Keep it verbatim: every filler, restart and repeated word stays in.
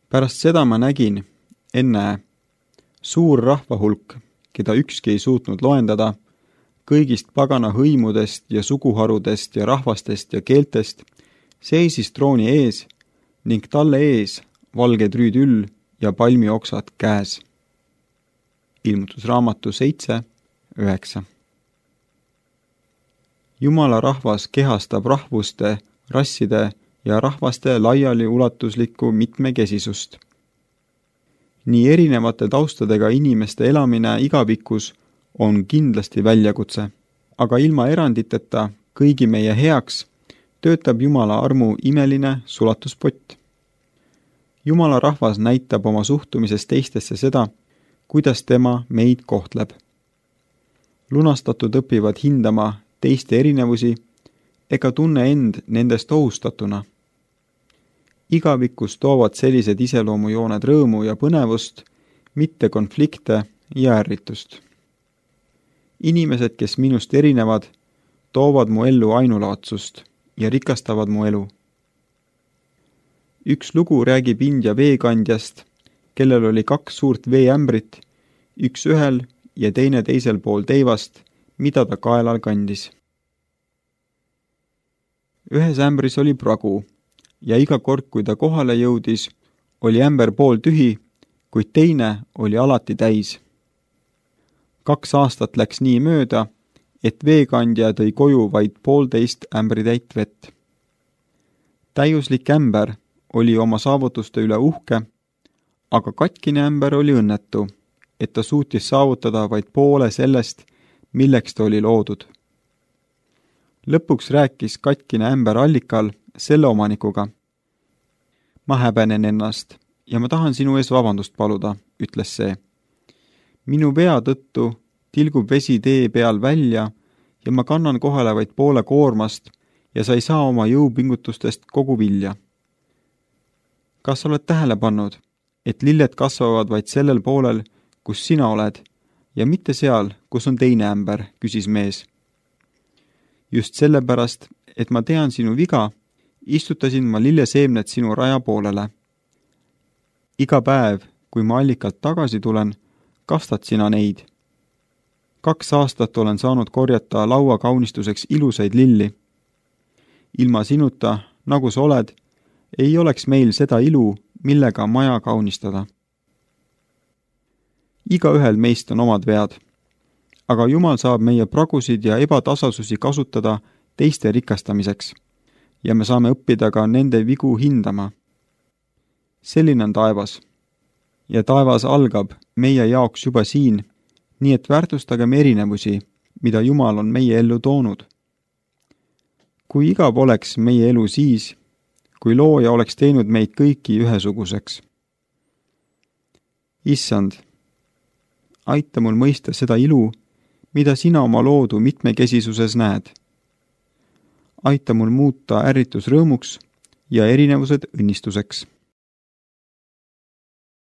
Pärast seda ma nägin, ennäe, suur rahvahulk, keda ükski ei suutnud loendada, kõigist pagana hõimudest ja suguharudest ja rahvastest ja keeltest, seisis trooni ees ning talle ees valge trüüdüll ja palmioksad käes. Ilmutusraamatu seitse, üheksa. Jumala rahvas kehastab rahvuste, rasside ja rahvaste laiali ulatuslikku mitmekesisust. Nii erinevate taustadega inimeste elamine igavikus on kindlasti väljakutse, aga ilma eranditeta kõigi meie heaks töötab Jumala armu imeline sulatuspott. Jumala rahvas näitab oma suhtumises teistesse seda, kuidas tema meid kohtleb. Lunastatud õpivad hindama teiste erinevusi ega tunne end nendest ohustatuna. Igavikus toovad sellised iseloomujooned rõõmu ja põnevust, mitte konflikte ja ärritust. Inimesed, kes minust erinevad, toovad mu ellu ainulaadsust ja rikastavad mu elu. Üks lugu räägib India veekandjast, kellel oli kaks suurt veeämbrit, üks ühel ja teine teisel pool teivast, mida ta kaelal kandis. Ühes ämbris oli pragu ja iga kord, kui ta kohale jõudis, oli ämber pool tühi, kuid teine oli alati täis. Kaks aastat läks nii mööda, et veekandja tõi koju vaid poolteist ämbritäit vett. Täiuslik ämber oli oma saavutuste üle uhke, aga katkine ämber oli õnnetu, et ta suutis saavutada vaid poole sellest, milleks ta oli loodud. Lõpuks rääkis katkine ämber allikal selle omanikuga. Ma häbenen ennast ja ma tahan sinu ees vabandust paluda, ütles see. Minu vea tõttu tilgub vesi tee peal välja ja ma kannan kohale vaid poole koormast ja sa ei saa oma jõupingutustest kogu vilja. Kas sa oled tähele pannud, et lilled kasvavad vaid sellel poolel, kus sina oled, ja mitte seal, kus on teine ämber, küsis mees. Just sellepärast, et ma tean sinu viga, istutasin ma lilleseemned sinu raja poolele. Iga päev, kui ma allikalt tagasi tulen, kastad sina neid. Kaks aastat olen saanud korjata laua kaunistuseks ilusaid lilli. Ilma sinuta, nagu sa oled, ei oleks meil seda ilu, millega maja kaunistada. Igaühel meist on omad vead, aga Jumal saab meie pragusid ja ebatasasusi kasutada teiste rikastamiseks ja me saame õppida ka nende vigu hindama. Selline on taevas. Ja taevas algab meie jaoks juba siin, nii et väärtustagem erinevusi, mida Jumal on meie ellu toonud. Kui igav oleks meie elu siis, kui looja oleks teinud meid kõiki ühesuguseks. Issand, aita mul mõista seda ilu, mida sina oma loodu mitmekesisuses näed. Aita mul muuta ärritus rõõmuks ja erinevused õnnistuseks.